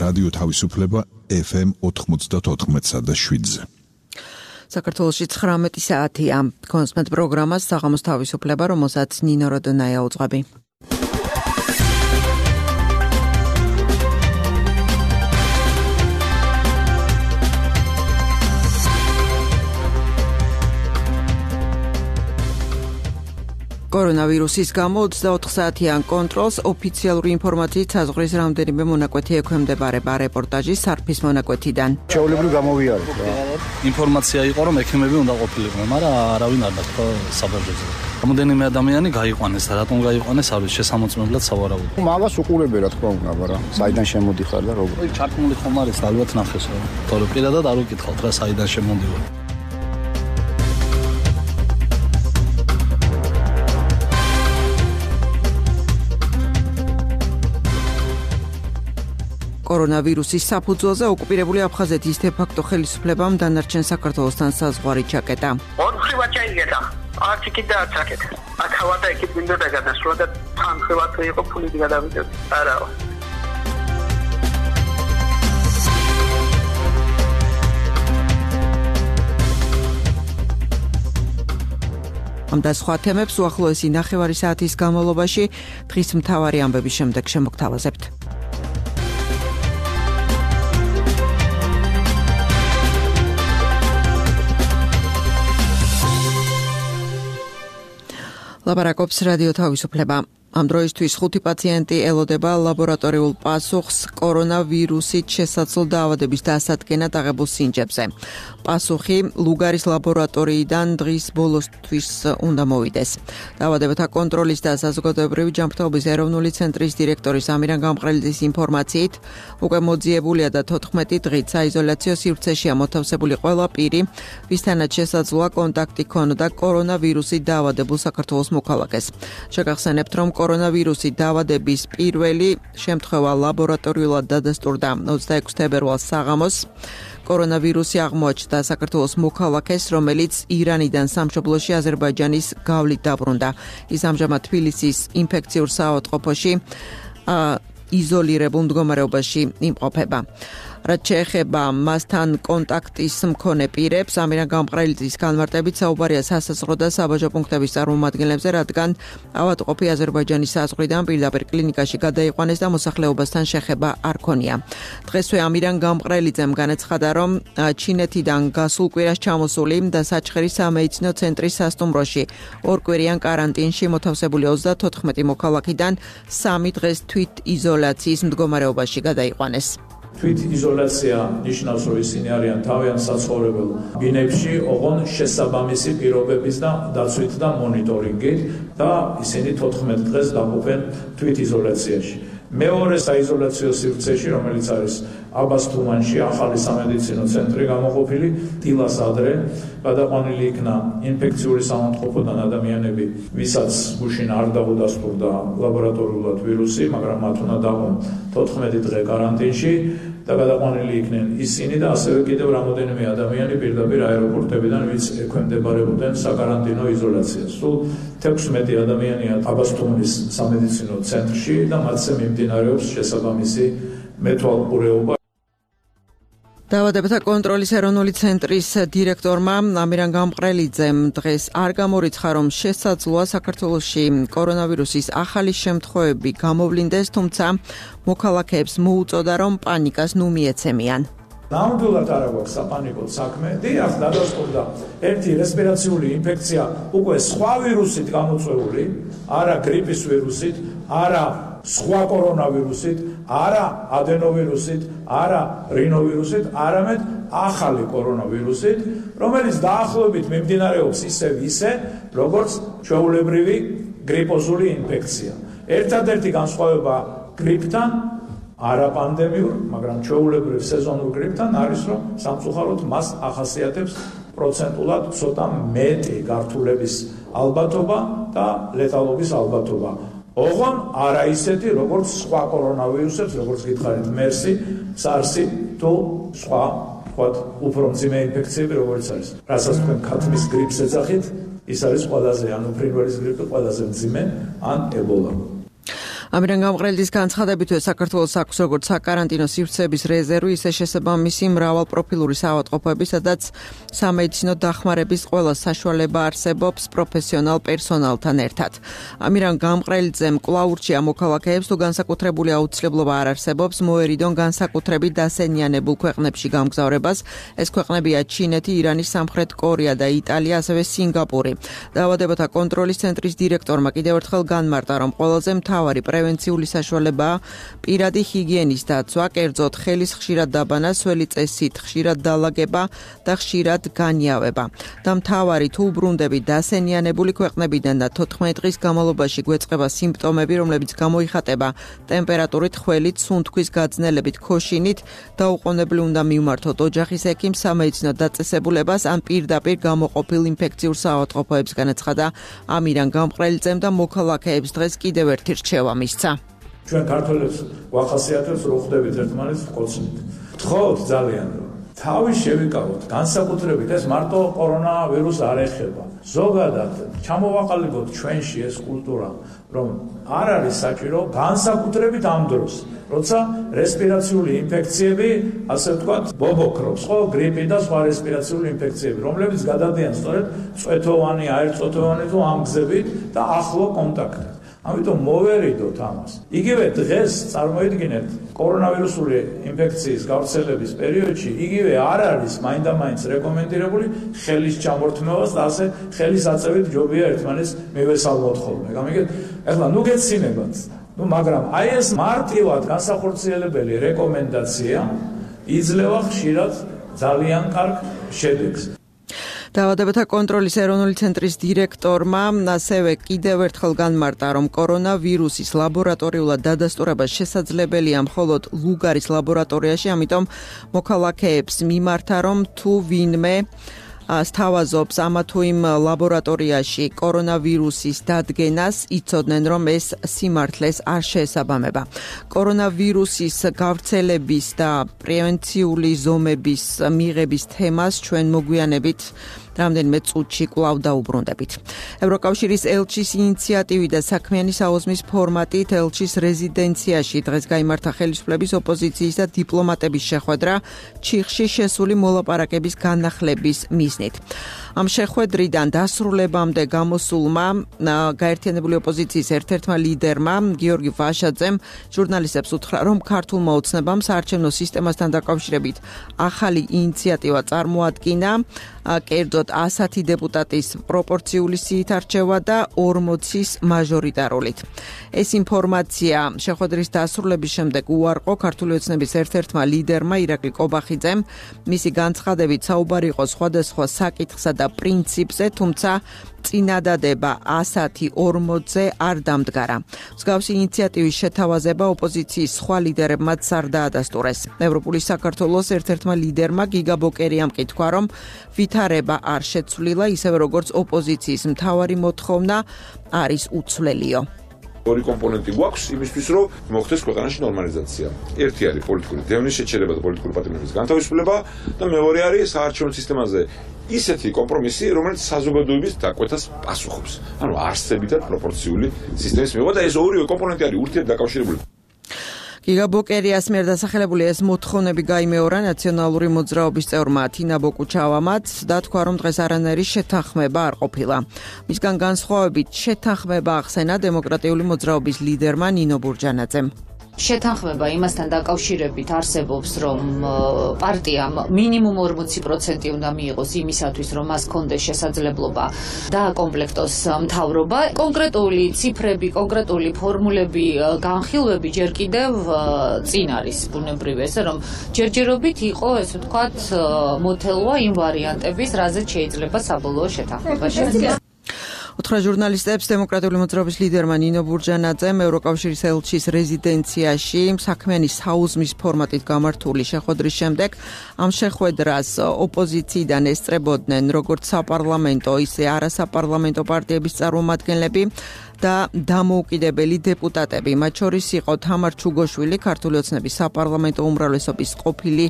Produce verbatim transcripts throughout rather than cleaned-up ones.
რადიო თავისუფლება ეფ ემ ოთხმოცდაოთხ და შვიდზე. საქართველოში ცხრამეტი საათია. კონსმეთ პროგრამას საღამოს თავისუფლება, რომელსაც ნინო როდონაია უძღვები. კორონავირუსის გამო ოცდაოთხ საათიან კონტროლს ოფიციალური ინფორმაციით საზღვრის რამდენიმე მონაკვეთი ექვემდებარება. რეპორტაჟი სარფის მონაკვეთიდან. ჩვეულებრივ გამოვიარეთ რა. ინფორმაცია იყო, რომ ექიმები უნდა ყოფილიყვნენ, მაგრამ არავინ არ დათქვა საბავშვოზე. რამდენიმე ადამიანი გაიყვანეს და რატომ გაიყვანეს, არ ვიცი, შესამოწმებლად სავარაუდო. მაგას უყურებე რა თქმა უნდა, მაგრამ საიდან შემოდიხარ და როგორ. ჩართმული ხომ არის, ალბათ ნახეს რა. თორე პირადად არ უკითხავთ რა, საიდან შემოდივარ. კორონავირუსის საფუძველზე ოკუპირებული აფხაზეთის დე-ფაქტო ხელისუფლებამ დანარჩენ საქართველოსთან საზღვარი ჩაკეტა. ორხრივად ჩაიგეთა. არც იქით და არც აქეთ. აქავად და იქით მინდოდა გადასვლა და თანხრივად იყო ფულით გადავიდეთ. არაო. ამ და სხვა თემებს უახლოესი ნახევარი საათის განმავლობაში დღის მთავარი ამბების შემდეგ შემოგთავაზებთ. ლაპარაკობს რადიო თავისუფლება. ამ დროისთვის ხუთი პაციენტი ელოდება ლაბორატორიულ პასუხს კორონავირუსით შესაძლო დაავადების დასადგენად აღებულ სინჯებზე. პასუხი ლუგარის ლაბორატორიიდან დღის ბოლოსთვის უნდა მოვიდეს. დაავადებათა კონტროლის და საზოგადოებრივი ჯანმრთელობის ეროვნული ცენტრის დირექტორის ამირან გამყრელიძის ინფორმაციით, უკვე მოძიებულია და თოთხმეტი დღით საიზოლაციო სივრცეშია მოთავსებული ყველა პირი, ვისთანაც შესაძლოა კონტაქტი ქონოდა კორონავირუსით დაავადებულ საქართველოს მოქალაქეს. შეგახსენებთ, რომ კორონავირუსით დაავადების პირველი შემთხვევა ლაბორატორიულად დადასტურდა ოცდაექვსი თებერვალს საღამოს. კორონავირუსი აღმოაჩნდა საქართველოს მოქალაქეს, რომელიც ირანიდან სამშობლოში აზერბაიჯანის გავლით დაბრუნდა. ის ამჟამად თბილისის ინფექციურ საავადმყოფოში იზოლირებულ მდგომარეობაში იმყოფება. რაც შეეხება მასთან კონტაქტის მქონე პირებს, ამირან გამყრელიძის განმარტებით საუბარია სასაზღვრო და საბაჟო პუნქტების წარმომადგენლებზე, რადგან ავადმყოფი აზერბაიჯანის საზღვრიდან პირდაპირ კლინიკაში გადაიყვანეს და მოსახლეობასთან შეხება არ ქონია. დღესვე ამირან გამყრელიძემ განაცხადა, რომ ჩინეთიდან გასულ კვირას ჩამოსული და საჩხერის სამედიცინო ცენტრის სასტუმროში ორკვირიან კარანტინში მოთავსებული ოცდათოთხმეტი მოქალაქიდან სამი დღეს თვით იზოლაციის მდგომარეობაში გადაიყვანეს. თვით იზოლაცია ნიშნავს, რომ ისინი არიან თავიანთ საცხოვრებელ ბინებში, ოღონ შესაბამისი პირობების და დაცვით და მონიტორინგით და ისინი თოთხმეტ დღეს დაყოფენ თვით იზოლაციაში. მეორე საიზოლაციო სივრცეში, რომელიც არის აბასთუმანში, ახალი სამედიცინო ცენტრი გამოყოფილი, დილას ადრე გადაყვანილი იქნა ინფექციური საავადმყოფოდან ადამიანები, ვისაც გუშინ არ დაუდასტურდა ლაბორატორიულად ვირუსი, მაგრამ მათ უნდა დაყონ თოთხმეტი დღე კარანტინში და გადაყვანილი იქნენ ისინი და ასევე კიდევ რამოდენიმე ადამიანი პირდაპირ აეროპორტებიდან, ვინც ექვემდებარებოდნენ საკარანტინო იზოლაციას. სულ თექვსმეტი ადამიანია აბასთუმანის სამედიცინო ცენტრში და მათზე მიმდინარეობს შესაბამისი მეთვალყურეობა. დაავადებათა კონტროლის ეროვნული ცენტრის დირექტორმა ამირან გამყრელიძემ დღეს არ გამორიცხა, რომ შესაძლოა საქართველოში კორონავირუსის ახალი შემთხვევები გამოვლინდეს, თუმცა მოქალაქეებს მოუწოდა, რომ პანიკას ნუ მიეცემიან. ნამდვილად არ აქვს საპანიკოდ საქმე. დიახ, დადასტურდა ერთი რესპირაციული ინფექცია უკვე სხვა ვირუსით გამოწვეული, არა გრიპის ვირუსით, არა სხვა კორონავირუსით, არა ადენოვირუსით, არა რინოვირუსით, არამედ ახალი კორონავირუსით, რომელიც დაახლოებით მიმდინარეობს ისევ ისე, როგორც ჩვეულებრივი გრიპოზული ინფექცია. ერთადერთი განსხვავება გრიპთან, არა პანდემიურ, მაგრამ ჩვეულებრივ სეზონურ გრიპთან არის, რომ სამწუხაროდ მას ახასიათებს პროცენტულად ცოტა მეტი გართულების ალბათობა და ლეტალობის ალბათობა. ოღონ არა ისეთი, როგორც სხვა კორონავირუსებს, როგორც გითხარით მერსი, სარსი თუ სხვა, ვთქვათ, უფრო მძიმე ინფექციები, როგორც არის. რასაც თქვენ ქათმის გრიპს ეძახით, ის არის ყველაზე, ანუ ფრინველის გრიპი ყველაზე მძიმე, ან ებოლა. ამირან გამყრელიძის განცხადებით, საქართველოს აქვს როგორც საკარანტინო სივრცეების რეზერვი, ისე შესაბამისი მრავალპროფილური საავადმყოფოები, სადაც სამედიცინო დახმარების ყველა საშუალება არსებობს პროფესიონალ პერსონალთან ერთად. ამირან გამყრელიძემ კვლავ ურჩია მოქალაქეებს, თუ განსაკუთრებული აუცილებლობა არ არსებობს, მოერიდონ განსაკუთრებით დასენიანებულ ქვეყნებში გამგზავრებას. ეს ქვეყნებია ჩინეთი, ირანი, სამხრეთ კორეა და იტალია, ასევე სინგაპური. დაავადებათა კონტროლის ცენტრის დირექტორმა კიდევ ერთხელ განმარტა, რომ ყველაზე მთავარი პრევენციული საშუალებაა პირადი ჰიგიენის დაცვა, კერძოდ ხელის ხშირად დაბანა, სველი წესით ხშირად დალაგება და ხშირად განიავება. და მთავარი თუ უბრუნდები დასენიანებული ქვეყნებიდან და თოთხმეტი დღის განმავლობაში გვეწყება სიმპტომები, რომლებიც გამოიხატება ტემპერატურით, ხველით, სუნთქვის გაძნელებით, ქოშინით, დაუყოვნებლივ უნდა მივმართოთ ოჯახის ექიმს, სამედიცინო დაწესებულებას ან პირდაპირ გამოყოფილ ინფექციურ საავადმყოფოებს, განაცხადა ამირან გამყრელიძემ და მოქალაქეებს დღეს კიდევ ერთი რჩევა მისცა. ჩვენ ქართველებს ვახასიათებს, რომ ხვდებით ერთმანეთს ვკოცნით. ვთხოვთ ძალიან, რომ თავი შევიკავოთ, განსაკუთრებით ეს მარტო კორონავირუსს არ ეხება. ზოგადად ჩამოვაყალიბოთ ჩვენში ეს კულტურა, რომ არ არის საჭირო განსაკუთრებით ამ დროს, როცა რესპირაციული ინფექციები, ასე ვთქვათ, ბობოქრობს, ხო, გრიპი და სხვა რესპირაციული ინფექციები, რომლებიც გადადიან სწორედ წვეთოვანი, აერწოთოვანი თუ ამ გზებით და ახლო კონტაქტით. ამიტომ მოვერიდოთ ამას. იგივე დღეს წარმოიდგინეთ კორონავირუსული ინფექციის გავრცელების პერიოდში, იგივე არ არის მაინდამაინც რეკომენდირებული ხელის ჩამორთმევას და ასე ხელის აწევით ჯობია ერთმანეთს მივესალმოთ ხოლმე. გამიგეთ? ეხლა ნუ გეცინებათ. ნუ მაგრამ აი ეს მარტივად განსახორციელებელი რეკომენდაცია იძლევა ხშირად ძალიან კარგ შედეგს. დაავადებათა კონტროლის ეროვნული ცენტრის დირექტორმა ასევე კიდევ ერთხელ განმარტა, რომ კორონავირუსის ლაბორატორიულად დადასტურება შესაძლებელია მხოლოდ ლუგარის ლაბორატორიაში, ამიტომ მოქალაქეებს მიმართა, რომ თუ ვინმე სთავაზობს ამა თუ იმ ლაბორატორიაში კორონავირუსის დადგენას, იცოდნენ, რომ ეს სიმართლეს არ შეესაბამება. კორონავირუსის გავრცელების და პრევენციული ზომების მიღების თემას ჩვენ მოგვიანებით რამდენიმე წუთში კვლავ დაუბრუნდებით. ევროკავშირის ელჩის ინიციატივით და საქმიანი საოზმის ფორმატით ელჩის რეზიდენციაში დღეს გაიმართა ხელისუფლების, ოპოზიციის და დიპლომატების შეხვედრა ჩიხში შესული მოლაპარაკების განახლების მიზნით. ამ შეხვედრიდან დასრულებამდე გამოსულმა გაერთიანებული ოპოზიციის ერთ-ერთმა ლიდერმა გიორგი ვაშაძემ ჟურნალისტებს უთხრა, რომ ქართულმა ოცნებამ საარჩევნო სისტემასთან დაკავშირებით ახალი ინიციატივა წარმოადგინა, კერძოდ ასათი დეპუტატის პროპორციული სიით არჩევა და ორმოცის მაჟორიტარულით. ეს ინფორმაცია შეხვედრის დასრულების შემდეგ უარყო ქართული ოცნების ერთ-ერთმა ლიდერმა ირაკლი კობახიძემ. მისი განცხადებით საუბარი იყო სხვადასხვა საკითხსა და პრინციპზე, თუმცა წინადადება ასათი ორმოცზე არ დამდგარა. მსგავსი ინიციატივის შეთავაზება ოპოზიციის სხვა ლიდერებმაც არ დაადასტურეს. ევროპული საქართველოს ერთ-ერთმა ლიდერმა გიგა ბოკერიამ კითხვა, რომ ვითარება არ შეცვლილა, ისევე როგორც ოპოზიციის მთავარი მოთხოვნა არის უცვლილიო. ორი კომპონენტი გვაქვს იმისთვის, რომ მოხდეს ქვეყანაში ნორმალიზაცია. ერთი არის პოლიტიკური დევნის შეჩერება და პოლიტიკური პატრიოტიზმის განთავისუფლება და მეორე არის საარჩევნო სისტემაზე ისეთი კომპრომისი, რომელიც საზოგადოების დაკვეთას პასუხობს. ანუ არსებითად პროპორციული სისტემის მიღება და ეს ორივე კომპონენტი არის ურთიერთდაკავშირებული. გიგა ბოკერიას მიერ დასახელებული ეს მოთხოვნები გაიმეორა ნაციონალური მოძრაობის წევრმა თინა ბოკუჩავამაც და თქვა, რომ დღეს არანაირი შეთანხმება არ ყოფილა. მისგან განსხვავებით შეთანხმება ახსენა დემოკრატიული მოძრაობის ლიდერმა ნინო ბურჯანაძემ. შეთანხმება იმასთან დაკავშირებით არსებობს, რომ პარტიამ მინიმუმ ორმოცი პროცენტი უნდა მიიღოს იმისათვის, რომ მას კონდეს შესაძლებლობა დააკომპლექტოს მთავრობა. კონკრეტული ციფრები, კონკრეტული ფორმულები, განხილვები ჯერ კიდევ წინ არის ბუნებრივი ესე, რომ ჯერჯერობით იყო, ესე ვთქვათ, მოთელვა იმ ვარიანტების, რაზეც შეიძლება საბოლოო შეთანხმება შედგება. უთხრა ჟურნალისტებს დემოკრატიული მოძრაობის ლიდერმა ნინო ბურჯანაძემ ევროკავშირის ელჩის რეზიდენციაში საქმიანი საუზმის ფორმატით გამართული შეხვედრის შემდეგ ამ შეხვედრას ოპოზიციიდან ესწრებოდნენ როგორც საპარლამენტო, ისე არასაპარლამენტო პარტიების წარმომადგენლები და დამოუკიდებელი დეპუტატები. მათ შორის იყო თამარ ჩუგოშვილი, ქართული ოცნების საპარლამენტო უმრავლესობის ყოფილი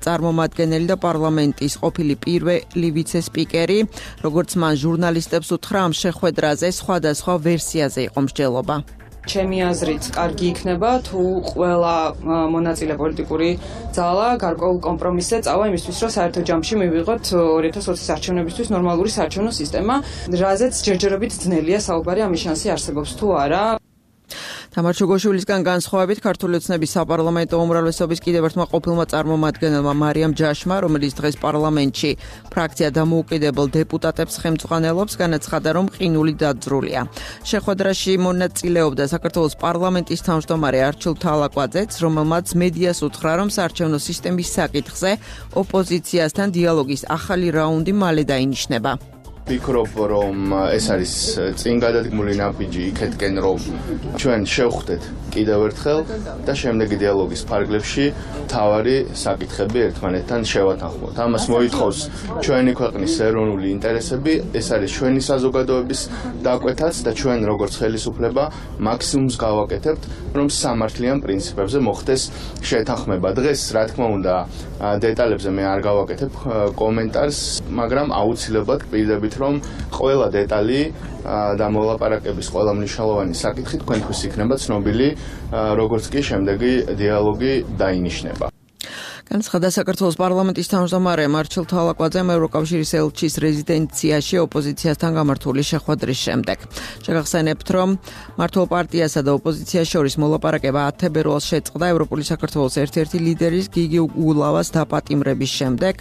წარმომადგენელი და პარლამენტის ყოფილი პირველი ვიცე-სპიკერი. როგორც მან ჟურნალისტებს უთხრა, ამ შეხვედრაზე სხვადასხვა ვერსიაზე იყო მსჯელობა. ჩემი აზრით, კარგი იქნება თუ ყველა მონაწილე პოლიტიკური ძალა გარკვეულ კომპრომისზე წავა იმისთვის, რომ საერთო ჯამში მივიღოთ ორი ათას ოცის არჩევნებისთვის ნორმალური საარჩევნო სისტემა, რაზეც ჯერჯერობით ძნელია საუბარი, ამის შანსი არსებობს თუ არა. თამარ ჩუგოშვილისგან განსხვავებით ქართული ოცნების საპარლამენტო უმრავლესობის კიდევ ერთმა ყოფილმა წარმომადგენელმა მარიამ ჯაშმა, რომელიც დღეს პარლამენტში ფრაქცია დამოუკიდებელ დეპუტატებს ხელმძღვანელობს, განაცხადა, რომ ყინული დაძრულია. შეხვედრაში მონაწილეობდა საქართველოს პარლამენტის თავმჯდომარე არჩილ თალაკვაძეც, რომელმაც მედიას უთხრა, რომ საარჩევნო სისტემის საკითხზე ოპოზიციასთან დიალოგის ახალი რაუნდი მალე დაინიშნება. ვფიქრობ, რომ ეს არის წინ გადადგმული ნაბიჯი იქეთკენ, რომ ჩვენ შევხვდეთ კიდევ ერთხელ და შემდეგი დიალოგის ფარგლებში თავარი საკითხები ერთმანეთთან შევათანხმოთ. ამას მოითხოვს ჩვენი ქვეყნის ეროვნული ინტერესები, ეს არის ჩვენი საზოგადოების დაკვეთაც და ჩვენ როგორც ხელისუფლება მაქსიმუმს გავაკეთებთ, რომ სამართლიან პრინციპებზე მოხდეს შეთანხმება. დღეს, რა თქმა უნდა, დეტალებზე მე არ გავაკეთებ კომენტარს, მაგრამ აუცილებლად გპირდებით, რომ ყველა დეტალი და მოლაპარაკების ყველა მნიშვნელოვანი საკითხი თქვენთვის იქნება ცნობილი, როგორც კი შემდეგი დიალოგი დაინიშნება. განაცხადა საქართველოს პარლამენტის თავმჯდომარე არჩილ თალაკვაძემ ევროკავშირის ელჩის რეზიდენციაში ოპოზიციასთან გამართული შეხვედრის შემდეგ. შეგახსენებთ, რომ მართლ პარტიასა და ოპოზიციას შორის მოლაპარაკება ათი თებერვალს შეწყდა ევროპული საქართველოს ერთ-ერთი ლიდერის გიგი ულავას დაპატიმრების შემდეგ.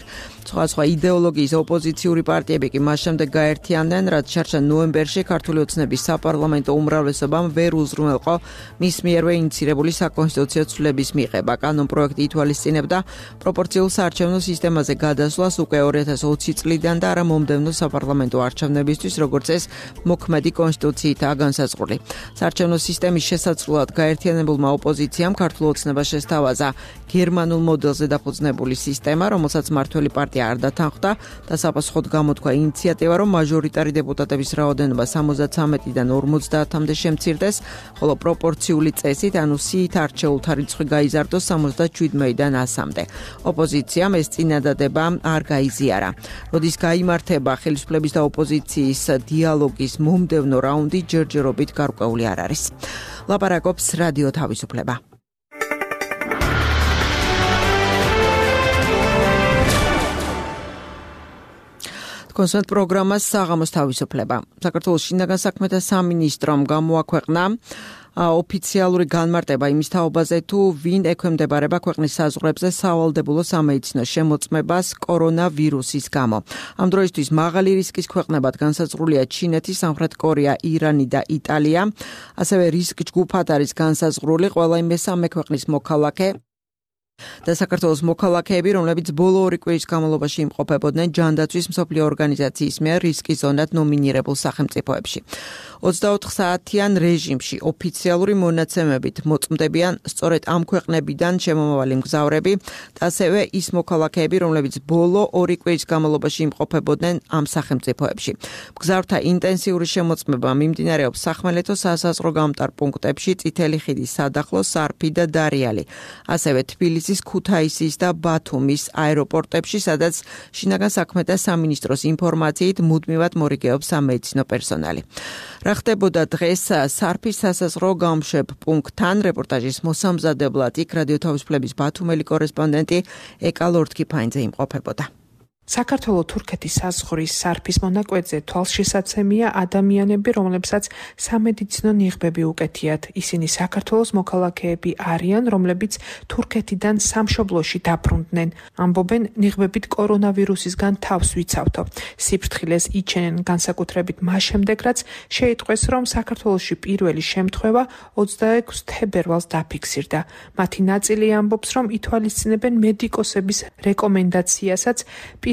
სხვადასხვა იდეოლოგიის ოპოზიციური პარტიები კი მას შემდეგ გაერთიანდნენ, რაც შარშან ნოემბერში ქართული ოცნების საპარლამენტო უმრავლესობამ ვერ უზრუნველყო მის მიერვე ინიცირებული საკონსტიტუციო ცვლილების მიღება. კანონპროექტი ითვალისწინებდა პროპორციულ საარჩევნო სისტემაზე გადასვლას უკვე ორი ათას ოცი წლიდან და არა მომდევნო საპარლამენტო არჩევნებისთვის, როგორც ეს მოქმედი კონსტიტუციითაა განსაზღვრული. საარჩევნო სისტემის შესაძლებლად გაერთიანებულმა ოპოზიციამ ქართულ ოცნებას შესთავაზა გერმანულ მოდელზე დაფუძნებული სისტემა, რომელსაც მართველი პარტია არ დათანხმდა და საფასხოდ გამოთქვა ინიციატივა, რომ მაჟორიტარი დეპუტატების რაოდენობა სამოცდათრამეტიდან ორმოცდაათამდე შემცირდეს, ხოლო პროპორციული წესით, ანუ სიით არჩეულთა რიცხვი გაიზარდოს სამოცდაშვიდიდან ასამდე. ოპოზიციამ ეს წინადადება არ გაიზიარა. როდის გაიმართება ხელისუფლების და ოპოზიციის დიალოგის მომდევნო რაუნდი, ჯერჯერობით გარკვეული არ არის. ლაპარაკობს რადიო თავისუფლება. კონსერტ პროგრამას საღამოს თავისუფლება. საქართველოს შინაგან საქმეთა სამინისტრომ გამოაქვეყნა ოფიციალური განმარტება იმის თაობაზე, თუ ვინ ექვემდებარება ქვეყნის საზღვრებზე სავალდებულო სამედიცინო შემოწმებას კორონავირუსის გამო. ამ დროისთვის მაღალი რისკის ქვეყნებად განსაზღვრულია ჩინეთი, სამხრეთ კორეა, ირანი და იტალია. ასევე რისკ ჯგუფად არის განსაზღვრული ყველა მესამე ქვეყნის მოქალაქე და საქართველოს მოქალაქეები, რომლებიც ბოლო ორი კვირის განმავლობაში იმყოფებოდნენ ჯანდაცვის მსოფლიო ორგანიზაციის მიერ რისკის ზონად ნომინირებულ სახელმწიფოებში. ოცდაოთხ საათიან რეჟიმში ოფიციალური მონაცემებით მოწმდებიან სწორედ ამ ქვეყნებიდან შემომავალი მგზავრები და ასევე ის მოქალაქეები, რომლებიც ბოლო ორი კვირის განმავლობაში იმყოფებოდნენ ამ სახელმწიფოებში. მგზავრთა ინტენსიური შემოწმება მიმდინარეობს სახმელეთო სასაზღვრო გამტარ პუნქტებში, წითელი ხიდის სადახლო, სარფი და დარიალი. ასევე თბილისის, ქუთაისის და ბათუმის აეროპორტებში, სადაც შინაგან საქმეთა სამინისტროს ინფორმაციით მუდმივად მორიგეობს სამედიცინო პერსონალი. რა ხდებოდა დღეს სარფის სასაზღვრო გამშვებ პუნქტთან, რეპორტაჟის მოსამზადებლად იქ რადიო თავისუფლების ბათუმელი კორესპონდენტი ეკა ლორთქიფაინძე იმყოფებოდა. საქართველო-თურქეთის საზღვრის სარფის მონაკვეთზე თვალშესაცემია ადამიანები, რომლებსაც სამედიცინო ნიღბები უკეთიათ. ისინი საქართველოს მოქალაქეები არიან, რომლებიც თურქეთიდან სამშობლოში დაბრუნდნენ. ამბობენ, ნიღბებით კორონავირუსისგან თავს ვიცავთო. სიფრთხილეს იჩენენ განსაკუთრებით მას შემდეგ, რაც შეიტყვეს, რომ საქართველოში პირველი შემთხვევა ოცდაექვსი თებერვალს დაფიქსირდა. მათი ნაწილი ამბობს, რომ ითვალისწინებენ მედიკოსების რეკომენდაციასაც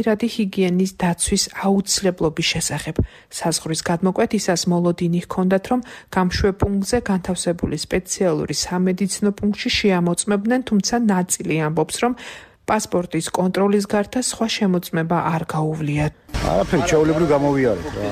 პირადი ჰიგიენის დაცვის აუცილებლობის შესახებ. საზღვრის გადმოკვეთისას მოლოდინი ჰქონდათ, რომ გამშვებ პუნქტზე განთავსებული სპეციალური სამედიცინო პუნქტში შეამოწმებდნენ, თუმცა ნაწილი ამბობს, რომ პასპორტის კონტროლის გარდა სხვა შემოწმება არ გაუვლიათ. არაფერი ჩაოლებრივ გამოვიარეთ რა.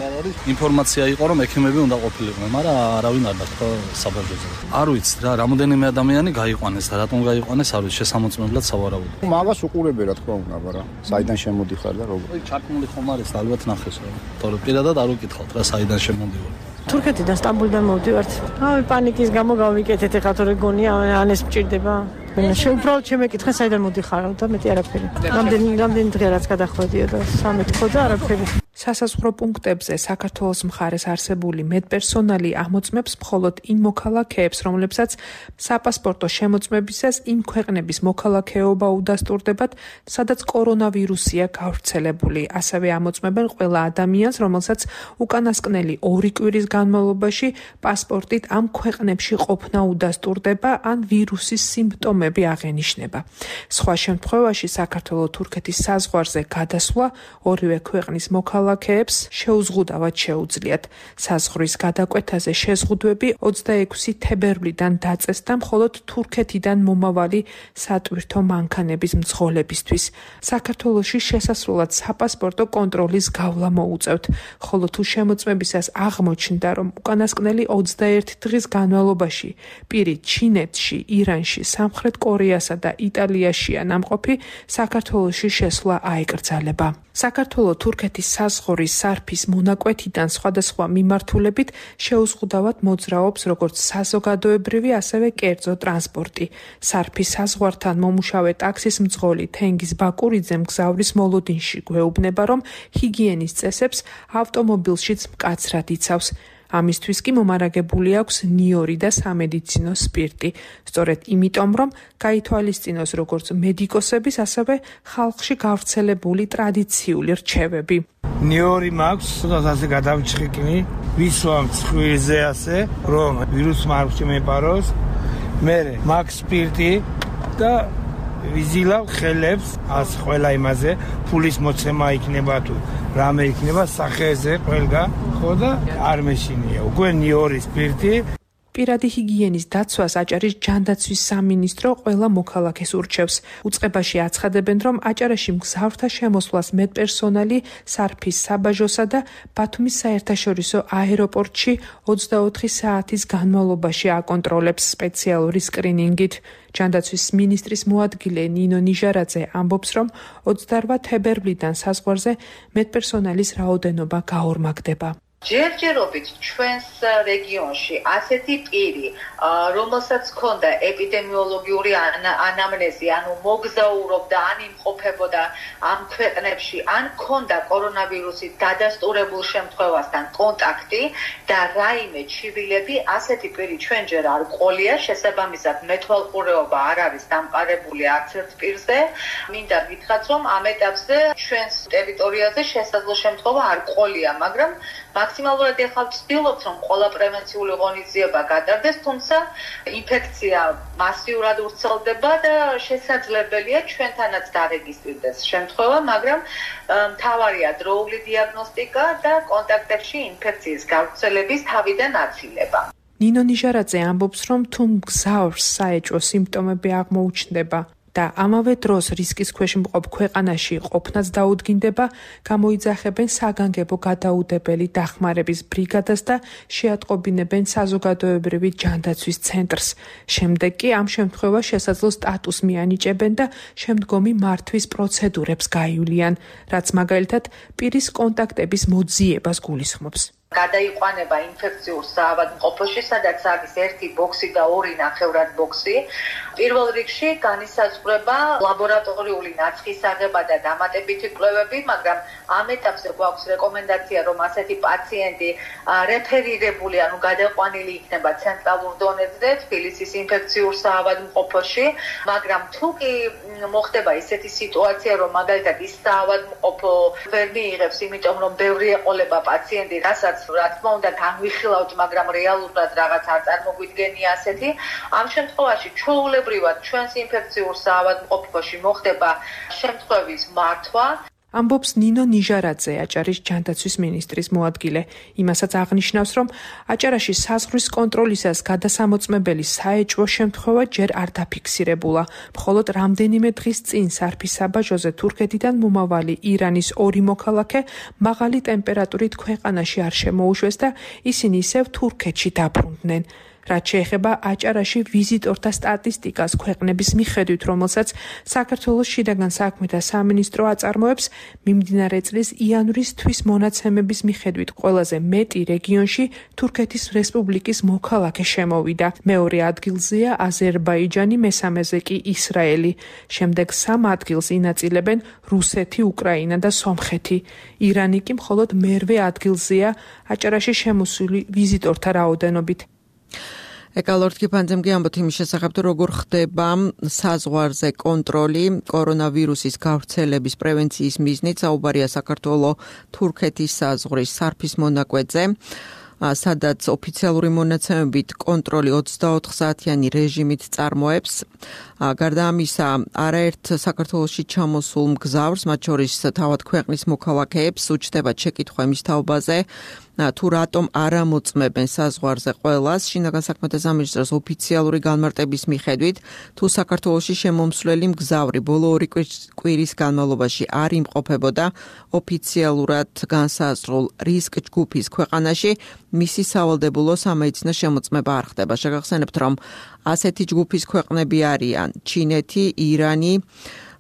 ინფორმაცია იყო, რომ ექიმები უნდა ყოფილიყვნენ, მაგრამ არავინ არ დათქვა საბავშვოზე. არ ვიცი რა, რამოდენიმე ადამიანი გაიყვანეს და რატომ გაიყვანეს, არ ვიცი, შესამოწმებლად სავარაუდო. მაგას უყურებე რა თქმა უნდა, მაგრამ საიდან შემოდიხარ და როგორ. ჩართული ხომ არის, ალბათ ნახეს რა. თორე პირადად არ უკითხავთ რა, საიდან შემოდივარ. თურქეთიდან სტამბოლიდან მოვდივართ. აი პანიკის გამო გავიკეთეთ ეხლა თორე გონია ან ეს მჭირდება. შეუბრალოდ შემეკითხე საიდან მოდიხარ და მეტი არაფერი. რამდენი რამდენი დღე რაც გადახვედიო და სამი თქო და არაფერი. სასაზღვრო პუნქტებზე საქართველოს მხარეს არსებული მედპერსონალი ამოწმებს მხოლოდ იმ მოქალაქეებს, რომლებსაც საპასპორტო შემოწმებისას იმ ქვეყნების მოქალაქეობა უდასტურდებათ, სადაც კორონავირუსია გავრცელებული. ასევე ამოწმებენ ყველა ადამიანს, რომელსაც უკანასკნელი ორი კვირის განმავლობაში პასპორტით ამ ქვეყნებში ყოფნა უდასტურდება ან ვირუსის სიმპტომები აღენიშნება. სხვა შემთხვევაში საქართველო-თურქეთის საზღვარზე გადასვლა ორივე ქვეყნის მოქალაქეებს შეუზღუდავად შეუძლიათ. საზღვრის გადაკვეთაზე შეზღუდვები ოცდაექვსი თებერვლიდან დაწესდა მხოლოდ თურქეთიდან მომავალი სატვირთო მანქანების მძღოლებისთვის. საქართველოში შესასვლელად საპასპორტო კონტროლის გავლა მოუწევთ, ხოლო თუ შემოწმებისას აღმოჩნდა, რომ უკანასკნელი ოცდაერთი დღის განმავლობაში პირი ჩინეთში, ირანში, სამხრეთ კორეასა და იტალიაშია ნამყოფი, საქართველოში შესვლა აეკრძალება. საქართველო-თურქეთის საზღვრის სარფის მონაკვეთიდან სხვადასხვა მიმართულებით შეუზღუდავად მოძრაობს როგორც საზოგადოებრივი, ასევე კერძო ტრანსპორტი. სარფის საზღვართან მომუშავე ტაქსის მძღოლი თენგიზ ბაკურიძე მგზავრის მოლოდინში გვეუბნება, რომ ჰიგიენის წესებს ავტომობილშიც მკაცრად იცავს. ამისთვის კი მომარაგებული აქვს ნიორი და სამედიცინო სპირტი. სწორედ იმიტომ, რომ გაითვალისწინოს როგორც მედიკოსების, ასევე ხალხში გავრცელებული ტრადიციული რჩევები. ნიორი მაქვს, ასე გადავჭრიკნი, ვისვამ ცხვირზე ასე, რომ ვირუსმა არ შემეპაროს. მე მაქვს სპირტი და ვიზილავ ხელებს ას ყველა იმაზე, ფულის მოცემა იქნება თუ რამე იქნება სახეზე ყველგან, ხო და არ მეშინია. უკვე ნიორი სპირტი. პირადი ჰიგიენის დაცვას აჭარის ჯანდაცვის სამინისტრო ყველა მოქალაქეს ურჩევს. უწყებაში აცხადებენ, რომ აჭარაში მგზავრთა შემოსვლას მედპერსონალი სარფის საბაჟოსა და ბათუმის საერთაშორისო აეროპორტში ოცდაოთხი საათის განმავლობაში აკონტროლებს სპეციალური სკრინინგით. ჯანდაცვის მინისტრის მოადგილე ნინო ნიჟარაძე ამბობს, რომ ოცდაოთხი თებერვლიდან საზღვარზე მედპერსონალის რაოდენობა გაორმაგდება. ჯერჯერობით ჩვენს რეგიონში ასეთი პირი, რომელსაც ჰქონდა ეპიდემიოლოგიური ანამნეზი, ანუ მოგზაურობდა, ან იმყოფებოდა ამ ქვეყნებში, ან ჰქონდა კორონავირუსით დადასტურებულ შემთხვევასთან კონტაქტი და რაიმე ჩივილები, ასეთი პირი ჩვენ ჯერ არ ყოლია, შესაბამისად მეთვალყურეობა არ არის დამყარებული არც ერთ პირზე. მინდა გითხრათ, რომ ამ ეტაპზე ჩვენს ტერიტორიაზე შესაძლო შემთხვევა არ ყოლია, მაგრამ მაქსიმალურად ეხლა ვცდილობთ, რომ ყველა პრევენციული ღონისძიება გადარდეს, თუმცა ინფექცია მასიურად ვრცელდება და შესაძლებელია ჩვენთანაც დარეგისტრირდეს შემთხვევა, მაგრამ მთავარია დროული დიაგნოსტიკა და კონტაქტებში ინფექციის გავრცელების თავიდან აცილება. ნინო ნიჟარაძე ამბობს, რომ თუ მგზავრს საეჭვო სიმპტომები აღმოუჩნდება და ამავე დროს რისკის ქვეშ მყოფ ქვეყანაში ყოფნაც დაუდგინდება, გამოიძახებენ საგანგებო გადაუდებელი დახმარების ბრიგადას და შეატყობინებენ საზოგადოებრივი ჯანდაცვის ცენტრს. შემდეგ კი ამ შემთხვევაში შესაძლო სტატუსს მიანიჭებენ და შემდგომი მართვის პროცედურებს გაივლიან, რაც მაგალითად პირის კონტაქტების მოძიებას გულისხმობს. გადაიყვანება ინფექციურ საავადმყოფოში, სადაც არის ერთი ბოქსი და ორი ნახევრად ბოქსი. პირველ რიგში განისაზღვრება ლაბორატორიული ნაცხის აღება და დამატებითი კვლევები, მაგრამ ამ ეტაპზე გვაქვს რეკომენდაცია, რომ ასეთი პაციენტი რეფერირებული, ანუ გადაყვანილი იქნება ცენტრალურ დონეზე, თბილისის ინფექციურ საავადმყოფოში, მაგრამ თუ კი მოხდება ისეთი სიტუაცია, რომ მაგალითად ის საავადმყოფო ვერ მიიღებს, იმიტომ რომ ბევრი ეყოლება პაციენტი, რასაც რა თქმა უნდა განვიხილავთ, მაგრამ რეალურად რაღაც არ წარმოგვიდგენია ასეთი. ამ შემთხვევაში ჩვეულებრივად ჩვენს ინფექციურ საავადმყოფოში მოხდება შემთხვევის მართვა. ამბობს ნინო ნიჟარაძე, აჭარის ჯანდაცვის მინისტრის მოადგილე. იმასაც აღნიშნავს, რომ აჭარაში საზღვრის კონტროლისას გადასამოწმებელი საეჭვო შემთხვევა ჯერ არ დაფიქსირებულა. მხოლოდ რამდენიმე დღის წინ სარფის საბაჟოზე თურქეთიდან მომავალი ირანის ორი მოქალაქე მაღალი ტემპერატურით ქვეყანაში არ შემოუშვეს და ისინი ისევ თურქეთში დაბრუნდნენ. რაც შეეხება აჭარაში ვიზიტორთა სტატისტიკას ქვეყნების მიხედვით, რომელსაც საქართველოს შინაგან საქმეთა სამინისტრო აწარმოებს, მიმდინარე წლის იანვრის თვის მონაცემების მიხედვით ყველაზე მეტი რეგიონში თურქეთის რესპუბლიკის მოქალაქე შემოვიდა. მეორე ადგილზეა აზერბაიჯანი, მესამეზე კი ისრაელი. შემდეგ სამ ადგილს ინაწილებენ რუსეთი, უკრაინა და სომხეთი. ირანი კი მხოლოდ მერვე ადგილზეა აჭარაში შემოსული ვიზიტორთა რაოდენობით. ეკალორთკი ფანძემგი ამბობთ იმის შესახებ, თუ როგორ ხდება საზღვარზე კონტროლი კორონავირუსის გავრცელების პრევენციის მიზნით. საუბარია საქართველოს თურქეთის საზღვრის სარფის მონაკვეთზე, სადაც ოფიციალური მონაცემებით კონტროლი ოცდაოთხ საათიანი რეჟიმით წარმოებს. გარდა ამისა, არაერთ საქართველოში ჩამოსულ მგზავრს, მათ შორის თავად ქვეყნის მოქალაქეებს, უჩნდებათ შეკითხვა იმის თაობაზე, თუ რატომ არ ამოწმებენ საზღვარზე ყველას. შინაგან საქმეთა სამინისტროს ოფიციალური განმარტების მიხედვით, თუ საქართველოში შემომსვლელი მგზავრი ბოლო ორი კვირის განმავლობაში არ იმყოფებოდა ოფიციალურად განსაზღვრულ რისკ ჯგუფის ქვეყანაში, მისი სავალდებულო სამედიცინო შემოწმება არ ხდება. შეგახსენებთ, რომ ასეთი ჯგუფის ქვეყნები არიან ჩინეთი, ირანი,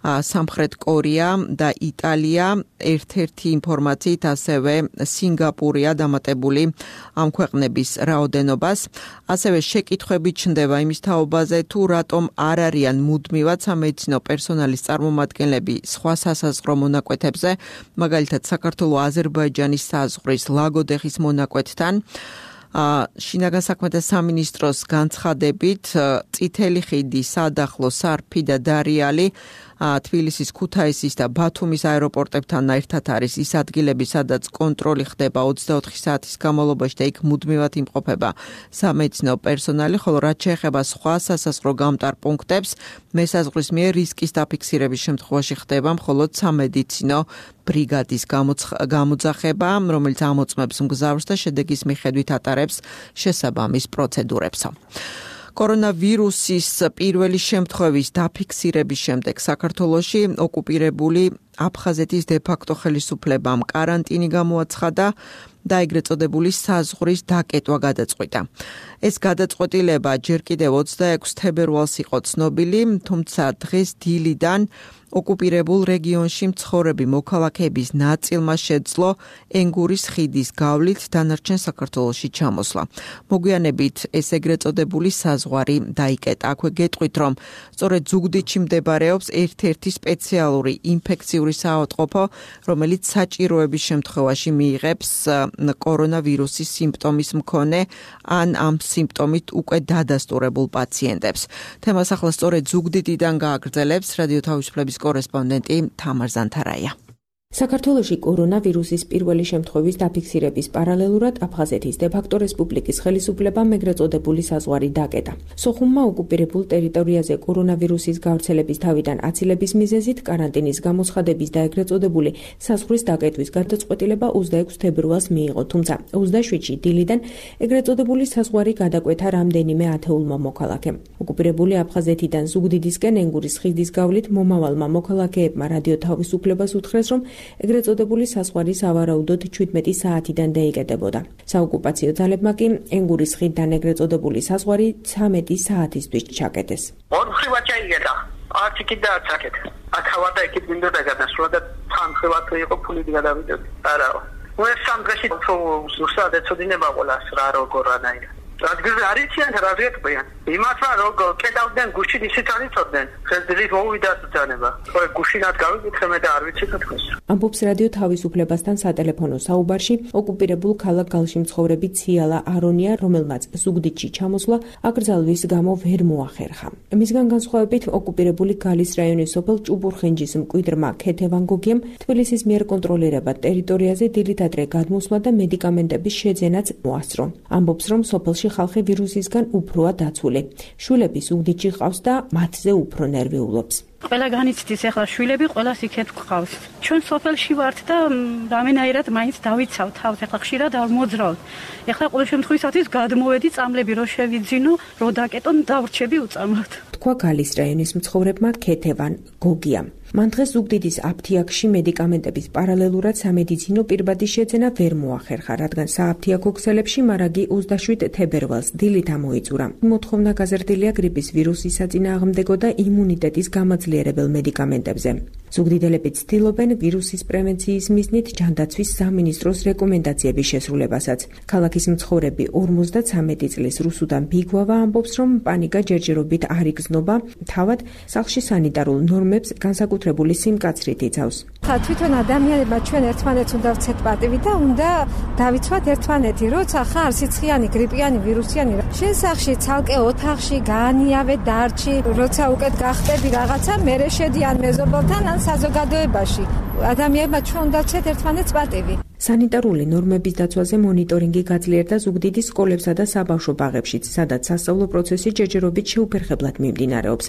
სამხრეთ კორეა და იტალია. ერთ-ერთი ინფორმაციით ასევე სინგაპურია დამატებული ამ ქვეყნების რაოდენობას. ასევე შეკითხვები ჩნდება იმის თაობაზე, თუ რატომ არ არიან მუდმივად სამედიცინო პერსონალის წარმომადგენლები სხვა სასაზღვრო მონაკვეთებზე, მაგალითად საქართველოს აზერბაიჯანის საზღვრის ლაგოდეხის მონაკვეთთან. შინაგან საქმეთა სამინისტროს განცხადებით, წითელი ხიდი, სადახლო, სარფი და დარიალი თბილისის, ქუთაისის და ბათუმის აეროპორტებთან ერთად არის ის ადგილები, სადაც კონტროლი ხდება ოცდაოთხი საათის განმავლობაში და იქ მუდმივად იმყოფება სამედიცინო პერსონალი, ხოლო რაც შეეხება სხვა სასაზღვრო გამტარ პუნქტებს, მესაზღვრის მიერ რისკის დაფიქსირების შემთხვევაში ხდება მხოლოდ სამედიცინო ბრიგადის გამოძახება, რომელიც ამოწმებს მგზავრს და შედეგის მიხედვით ატარებს შესაბამის პროცედურებს. კორონავირუსის პირველი შემთხვევის დაფიქსირების შემდეგ საქართველოში ოკუპირებული აფხაზეთის დე-ფაქტო ხელისუფლებამ კარანტინი გამოაცხადა და ეგრეთ წოდებული საზღვრის დაკეტვა გადაწყვიტა. ეს გადაწყვეტილება ჯერ კიდევ ოცდაექვსი თებერვალს იყო ცნობილი, თუმცა დღეს დილიდან ოკუპირებულ რეგიონში მცხოვრები მოქალაქეების ნაწილმა შეძლო ენგურის ხიდის გავლით დანარჩენ საქართველოში ჩამოსვლა. მოგვიანებით ეს ეგრეთ წოდებული საზღვარი დაიკეტა. აქვე გეტყვით, რომ სწორედ ზუგდიდში მდებარეობს ერთ-ერთი სპეციალური ინფექციური საავადმყოფო, რომელიც საჭიროების შემთხვევაში მიიღებს კორონავირუსის სიმპტომის მქონე ან ამ სიმპტომით უკვე დადასტურებულ პაციენტებს. თემას ახლა სწორედ ზუგდიდიდან გააგრძელებს რადიო თავისუფლების კორესპონდენტი თამარ ზანთარაია. საქართველოში კორონავირუსის პირველი შემთხვევის დაფიქსირების პარალელურად აფხაზეთის დე-ფაქტო რესპუბლიკის ხელისუფლებამ ეგრეთ წოდებული საზღვარი დაკეტა. სოხუმმა ოკუპირებულ ტერიტორიაზე კორონავირუსის გავრცელების თავიდან აცილების მიზეზით კარანტინის გამოცხადების და ეგრეთ წოდებული საზღვრის დაკეტვის გადაწყვეტილება ოცდაექვსი თებერვალს მიიღო, თუმცა ოცდაშვიდში დილიდან ეგრეთ წოდებული საზღვარი გადაკვეთა რამდენიმე ათეულმა მოქალაქემ. ოკუპირებული აფხაზეთიდან ზუგდიდისკენ ენგურის ხიდის გავლით მომავალმა მოქალაქეებმა რადიო თავისუფლებას უთხრეს, რომ ეგრეთ წოდებული საზღვარი სავარაუდოდ ჩვიდმეტი საათიდან დაიკეტებოდა. საოკუპაციო ძალებმა კი ენგურის ხიდთან ეგრეთ წოდებული საზღვარი ცამეტი საათისთვის ჩაკეტეს. ორმხრივად ჩაიგედა. არც იქით და არც აქეთ. აქავად და იქით მინდოდა გადასვლა და თანხევად იყო ფულით გადავიდოდი. არაო. უეს სამ დღეში უფრო ზუსტად ეცოდინება ყველას რა როგორ რანაირად. ადგილზე არიციან რა ზეთბიან. იმათმა როგორ კედავდნენ გუშინ ისიც არიწოდნენ. ხელძრით მოვიდა ბრძანება. ხო გუშინად გავიკითხე მე და არ ვიცი თქოს. ამბობს რადიო თავისუფლებასთან სატელეფონო საუბარში ოკუპირებულ ქალაქ გალში მცხოვრები ციალა არონია, რომელმაც ზუგდიდში ჩამოსვლა აკრძალვის გამო ვერ მოახერხა. მისგან განსხვავებით ოკუპირებული გალის რაიონის სოფელ ჭუბურხენჯის მკვიდრმა ქეთე ვანგოგიამ თბილისის მიერ კონტროლირებად ტერიტორიაზე დილით ადრე გადმოსვლა და მედიკამენტების შეძენაც მოასწრო. ამბობს, რომ სოფელში ხალხი ვირუსისგან უფროა დაცული. შულები ზუგდიდში ყავს და მათზე უფრო ნერვიულობს. ყველა განიცდის ახლა შვილები ყველას იქეთ გვყავს. ჩვენ სოფელში ვართ და რამენაირად მაინც დავიცავ თავს, ახლა ხშირად არ მოძრავ. ახლა ყოველ შემთხვევაში გადმოვედი წამლები რო შევიძინო, რო დაკეტონ დავრჩები უწამლად. თქვა გალის რაიონის მცხოვრებმა ქეთევან გოგიამ. მან დღეს ზუგდიდის აფთიაქში მედიკამენტების პარალელურად სამედიცინო პირბადის შეძენა ვერ მოახერხა, რადგან სააფთიაქო ქსელებში მარაგი ოცდაშვიდ თებერვალს დილით ამოიწურა. მოთხოვნა გაზრდილია გრიპის ვირუსის საწინააღმდეგო და იმუნიტეტის გამაძლიერებელ მედიკამენტებზე. ზუგდიდელები ცდილობენ ვირუსის პრევენციის მიზნით ჯანდაცვის სამინისტროს რეკომენდაციების შესრულებასაც. ქალაქის მცხოვრები ორმოცდაცამეტი წლის რუსუდან ბიგვავა ამბობს, რომ პანიკა ჯერჯერობით არ იგრძნობა, თავად სახლში სანიტარულ ნორმებს განსაკუთრებული სიმკაცრით იცავს. თვითონ ადამიანებმა ჩვენ ერთმანეთს უნდა ვცეთ პატივი და უნდა დავიცვათ ერთმანეთი, როცა ხარ სიცხიანი, გრიპიანი, ვირუსიანი. შენ სახლში ცალკე ოთახში გაანიავე დარჩი, როცა უკეთ გახტები რაღაცა, მერე შედიან მეზობელთან ან საზოგადოებაში. ადამიანებმა ჩვენ უნდა ვცეთ ერთმანეთს პატივი. სანიტარული ნორმების დაცვაზე მონიტორინგი გაძლიერდა ზუგდიდის სკოლებსა და საბავშვო ბაღებშიც, სადაც სასწავლო პროცესი ჯერჯერობით შეუფერხებლად მიმდინარეობს.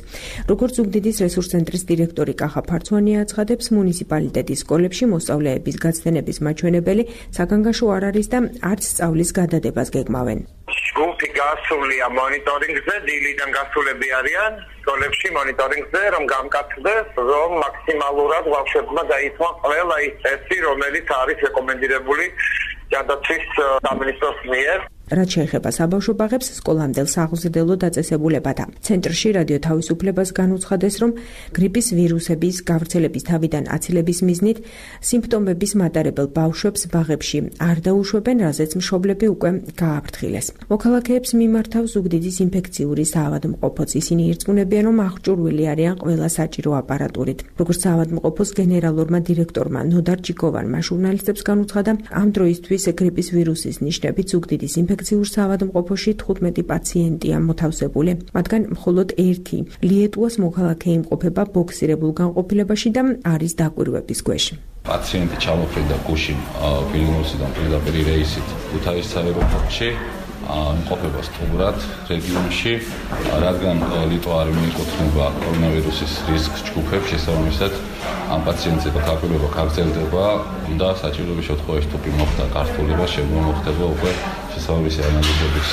როგორც ზუგდიდის რესურს ცენტრის დირექტორი კახა ფარცვანი აცხადებს, მუნიციპალიტეტის სკოლებში მოსწავლეების გაცდენების მაჩვენებელი საგანგაშო არ არის და არც სწავლის გადადებას გეგმავენ. ჯგუფი გასულია მონიტორინგზე, დილიდან გასულები არიან სკოლებში მონიტორინგზე, რომ გამკაცდეს, რომ მაქსიმალურად ბავშვებმა დაიცვან ყველა ის წესი, რომელიც არის რეკომენდირებული ჯანდაცვის სამინისტროს მიერ. რაც შეეხება საბავშვო ბაღებს, სკოლამდელ საღვთელო დაწესებულებათა ცენტრში რადიო თავისუფლებას განუცხადეს, რომ გრიპის ვირუსების გავრცელების თავიდან აცილების მიზნით სიმპტომების მატარებელ ბავშვებს ბაღებში არ დაუშვებენ, რაზეც მშობლები უკვე გააფრთხილეს. მოქალაქეებს მიმართავ ზუგდიდის ინფექციური საავადმყოფოც ისინი ირწმუნებიან, რომ აღჭურვილი არიან ყველა საჭირო აპარატურით. როგორც საავადმყოფოს გენერალურმა დირექტორმა ნოდარ ჯიკოვანმა ჟურნალისტებს განუცხადა, ამ დროისთვის გრიპის ვირუსის ნიშნებით ზუგდიდის ინფექციურ საავადმყოფოში თხუთმეტი პაციენტია მოთავსებული. მათგან მხოლოდ ერთი ლიეტუას მოქალაქე იმყოფება ბოქსირებულ განყოფილებაში და არის დაკვირვების ქვეშ. პაციენტი ჩამოფრინდა გუშინ ვილნიუსიდან პირდაპირ რეისით ქუთაისის აეროპორტში, იმყოფება სტუმრად რეგიონში, რადგან ლიტვა არ მიეკუთვნება კორონავირუსის რისკ ჯგუფებს, შესაბამისად ამ პაციენტზე დაკვირვება გაგრძელდება, უნდა საჭიროების შემთხვევაში თუ მოხდა გართულება, შემდგომ მოხდება უკვე შესაბამისი ანალიზების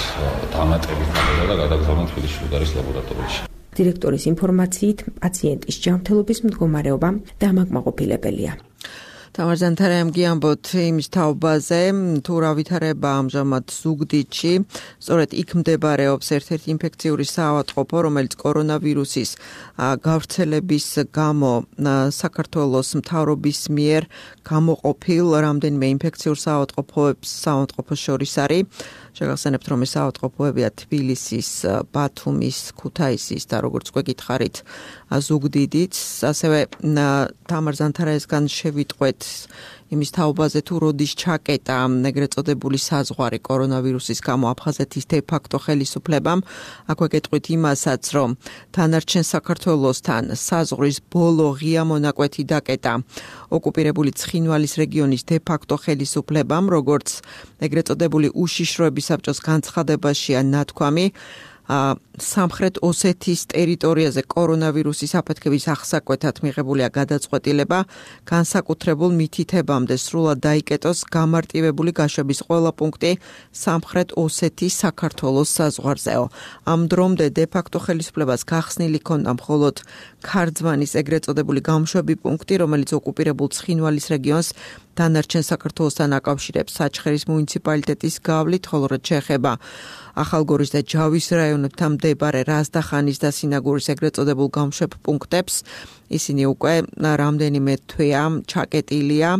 დამატებით და გადაგზავნა თბილისში უდარის ლაბორატორიაში. დირექტორის ინფორმაციით, პაციენტის ჯანმრთელობის მდგომარეობა დამაკმაყოფილებელია. თამარ ზანთარამ გიამბოთ იმის თაობაზე, თუ რა ვითარება ამჟამად ზუგდიდში, სწორედ იქ მდებარეობს ერთ-ერთი ინფექციური საავადმყოფო, რომელიც კორონავირუსის გავრცელების გამო საქართველოს მთავრობის მიერ გამოყოფილ რამდენიმე ინფექციურ საავადმყოფოებს საავადმყოფოს შორის არის. შეგახსენებთ, რომ ეს საავადმყოფოებია თბილისის, ბათუმის, ქუთაისის და როგორც უკვე გითხარით, ზუგდიდიც, ასევე თამარ ზანთარაისგან შევიტყვეთ იმის თაობაზე, თუ როდის ჩაკეტა ეგრეთ წოდებული საზღვარი კორონავირუსის გამო აფხაზეთის დე-ფაქტო ხელისუფლებამ. აქვე გეტყვით იმასაც, რომ დანარჩენ საქართველოსთან საზღვრის ბოლო ღია მონაკვეთი დაკეტა ოკუპირებული ცხინვალის რეგიონის დე-ფაქტო ხელისუფლებამ, როგორც ეგრეთ წოდებული უშიშროების საბჭოს განცხადებაშია ნათქვამი. სამხრეთ ოსეთის ტერიტორიაზე კორონავირუსის აფეთქების აღსაკვეთად მიღებულია გადაწყვეტილება განსაკუთრებულ მითითებამდე სრულად დაიკეტოს გამარტივებული გაშვების ყველა პუნქტი სამხრეთ ოსეთის საქართველოს საზღვარზეო. ამ დრომდე დე-ფაქტო ხელისუფლებას გახსნილი ჰქონდა მხოლოდ ქარძვანის ეგრეთ წოდებული გამშვები პუნქტი, რომელიც ოკუპირებულ ცხინვალის რეგიონს დანარჩენ საქართველოსთან აკავშირებს საჩხერის მუნიციპალიტეტის გავლით, ხოლო რაც შეეხება ახალგორის და ჯავის რაიონებთან მდებარე რაზდახანის და სინაგურის ეგრეთ წოდებულ გამშვებ პუნქტებს, ისინი უკვე რამდენიმე თვეა ჩაკეტილია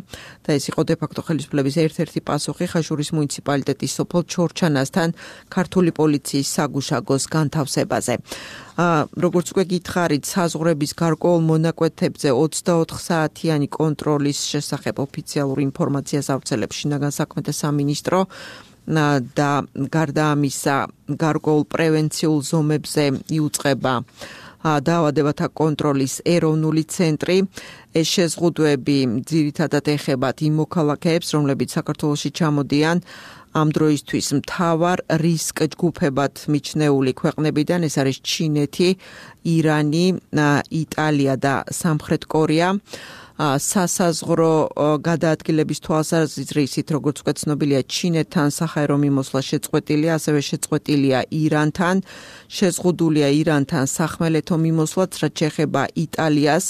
და ეს იყო დე-ფაქტო ხელისუფლების ერთ-ერთი პასუხი ხაშურის მუნიციპალიტეტის სოფელ ჩორჩანასთან ქართული პოლიციის საგუშაგოს განთავსებაზე. როგორც უკვე გითხარით, საზღვრების გარკვეულ მონაკვეთებზე ოცდაოთხ საათიანი კონტროლის შესახებ ოფიციალური ინფორმაციას ავრცელებს შინაგან საქმეთა სამინისტრო და გარდა ამისა გარკვეულ პრევენციულ ზომებზე იუწყება დაავადებათა კონტროლის ეროვნული ცენტრი. ეს შეზღუდვები ძირითადად ეხებათ იმ მოქალაქეებს, რომლებიც საქართველოში ჩამოდიან ამ დროისთვის მთავარ რისკ ჯგუფებად მიჩნეული ქვეყნებიდან, ეს არის ჩინეთი, ირანი, იტალია და სამხრეთ კორეა. სასაზღვრო გადაადგილების თვალსაზრისით, როგორც უკვე ცნობილია, ჩინეთთან საჰაერო მიმოსვლა შეწყვეტილია, ასევე შეწყვეტილია ირანთან, შეზღუდულია ირანთან სახმელეთო მიმოსვლაც, რაც შეეხება იტალიას.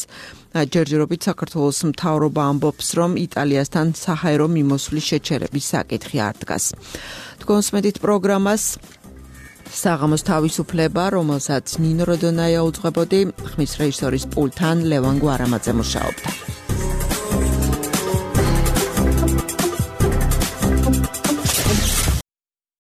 ჯერჯერობით საქართველოს მთავრობა ამბობს, რომ იტალიასთან საჰაერო მიმოსვლის შეჩერების საკითხი არ დგას. თქვენს მედით პროგრამას საღამოს თავისუფლება, რომელსაც ნინო როდონაია უძღვებოდი, ხმის რეჟისორის პულტთან ლევან გვარამაძე მუშაობდა.